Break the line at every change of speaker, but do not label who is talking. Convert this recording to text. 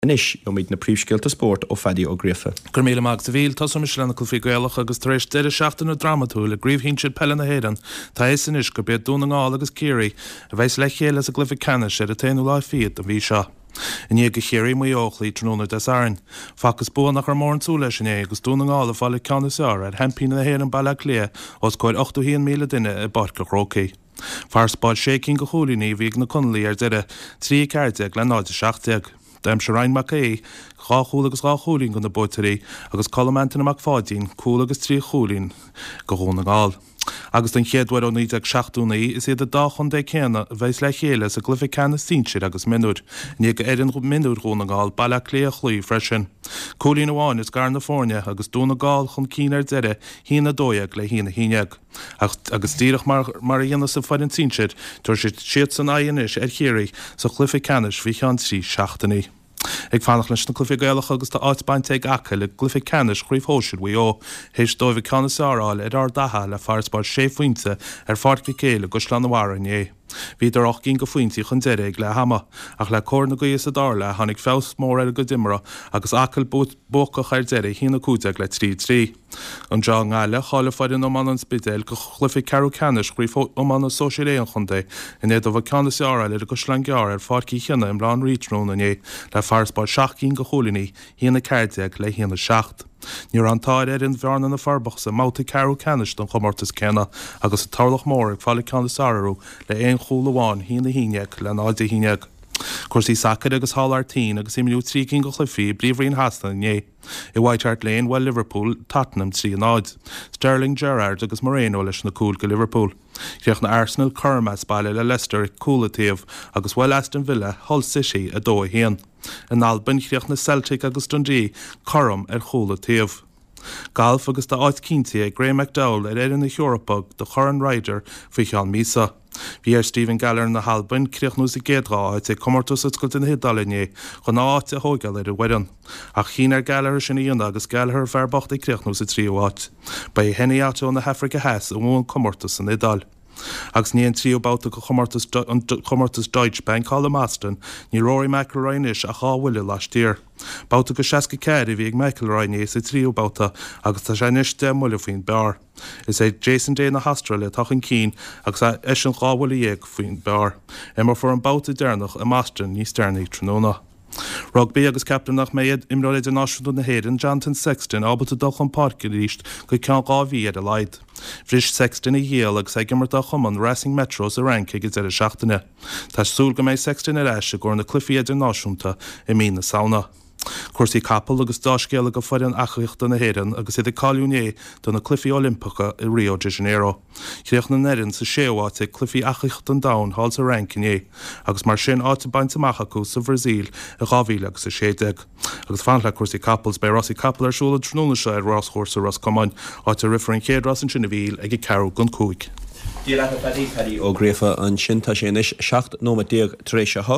Anois, gheobhaimid na príomhscéalta spóirt ó Phaddy Ó Gríofa.
Go raibh míle maith agat a Mhíchíl. Tosóidh mise le na cluichí Gaelacha agus tar éis deireadh seachtaine drámatúil i gCraobh Shinsir Peile na hÉireann, tá a fhios anois gurb iad Dún na nGall agus Ciarraí a bheas le chéile sa gcluiche ceannais ar an t-aonú lá fichead den mhí seo. I ndiaidh do Chiarraí Maigh Eo a chloí tráthnóna Dé Sathairn, facthas bua nach raibh mórán súil leis inné agus Dún na nGall ag fáil an ceann is fearr ar sheaimpíní na hÉireann Baile Átha Cliath os comhair 81,000 duine i bPáirc an Chrócaigh. Farasbarr sé cinn de chúilíní a bhí ag na Conallaigh ar deireadh, 3 14 le 0 17. D'aimsigh Ryan Mac Aodha dhá chúl agus dhá chúilín do na buaiteoirí agus Colm Antaine Mac Pháidín cúl agus trí chúilín do Dhún na nGall. Agus don chéad uair ó 1979, is iad an dá chontae céanna a bheas le chéile sa gcluiche ceannais sinsir agus mionúir, i ndiaidh d'fhoireann mionúir Dhún na nGall Baile Átha Cliath a chloí freisin. Cúilín amháin a scar na foirne agus Dún na nGall chun cinn ar deireadh, 1-12 le 1-11. Ach, agus díreach mar mar a dhéanfas an foireann sinsir, tabharfaidh siadsan aghaidh anois ar Chiarraí sa chluiche ceannais faoi cheann 3 seachtainí. Ag fanacht leis na cluichí Gaelacha agus tá áit bainte ag Acaill i gcluiche ceannais Chraobh Shóisir Mhaigh Eo théis dóibh an ceann is fearr a fháil ar Ard Fheatha le farasbarr sé phointe ar Pháirc Mhic Éil i gCaisleán an Bharraigh inné. Bhíodar 8 gcinn de phointí chun deiridh ag leath ama, ach le cóir na gaoithe sa dara leath tháinig feabhas mór ar a gcuid imeartha agus Acaill buacach ar deireadh, 1-15 le 3-3. Anseo i nGaillimh, cháiligh foireann iomána an Spidéil do chluiche ceathrú ceannais Chraobh Iomána Sóisir A an chontae i ndiaidh dóibh an ceann is fearr a fháil ar an gCaisleán Gearr ar Pháirc Uí Chionnaith i mBaile Átha an Rí tráthnóna inné le farasbarr 7 gcinn de chúilíní, 1-14 le 1-7. Ní raibh an t-ádh ar fhoireann Bhearna na Forbacha sa mbabhta ceathrú ceannais den chomórtas céanna agus an Turlach Mór ag fáil an ceann is fearr orthu le aon chúl amháin, 1-11 le 0-11. Cúrsaí sacair agus thall thar toinn agus imríodh 3 cinn de chluichí i bPríomhroinn Shasana inné. I White Hart Lane, bhuail Liverpool Tottenham 3 0. Sterling, Gerrard agus Moreno leis na cúil do Liverpool. Chríochnaigh Arsenal cothrom as baile le Leicester cúl an taobh agus bhuail Aston Villa Hull City 2 1. In Albain, chríochnaigh Celtic agus Dundee cothrom ar chúl an taobh. Galf agus tá áit cinnte ag Graeme McDowell ar fhoireann na hEorpa do Chorn Ryder faoi cheann míosa. Bhí ar Stephen Gallacher na hAlban críochnú sa gcéad dá áit ag Comórtas Oscailte na hIodáile inné chun a áit a thóigeáil ar an bhfoireann. Ach chinn ar Gallacher sin a dhéanamh agus Gallacher fear bocht ag críochnú sa tríú háit. Ba é Hennie Otto na hAfraice Theas a bhuaigh an comórtas san Iodáil. Agus i ndiaidh an tríú babhta de chomórtas an chomórtas Deutsche Bank thall i mBoston, níl Rory McIlroy anois ach dhá bhuille laistiar. Babhta de 64 a bhí ag McIlroy inné sa tríú babhta agus tá sé anois 10 mbuille faoin bpar. Is é Jason Day na hAstráile atá chun cinn agus eisean 12 bhuille faoin bpar. Imreofar an babhta deireanach i mBoston níos deireanaí tráthnóna. Rugbaí agus ceaptar nach mbeidh imreoir idirnáisiúnta na hÉireann, Jonathan Sexton, ábalta dul chun páirce arís go ceann 2 mhí ar a laghad. Bhris Sexton a ghiall agus é ag imirt dá chumann Racing Metro sa Fhrainc ag an deireadh seachtaine. Tá súil go mbeidh Sexton ar ais i gcomhair na cluichí idirnáisiúnta i mí na Samhna. Cúrsaí capall agus deá-scéala do foireann eachaíochta na hÉireann agus iad ag cáiliú inné do na Cluichí Oilimpeacha i Rio de Janeiro. Chríochnaigh an fhoireann sa séú háit ag Cluichí Eachaíochta an Domhain thall sa Fhrainc inné agus mar sin áit bainte amach acu sa Bhrasaíl i 2016. Agus fanacht le cúrsaí capall, beidh rásaí capall ar siúl an tráthnóna seo ar ráschúrsa Ros Comáin, áit a rithfear an chéad rás ansin a Mhíchíl ag a ceathrú don chúig.
Dia leat a Phaddy, Paddy Ó Gríofa ansin. Tá sé anois 17 nóiméad tar éis a 8.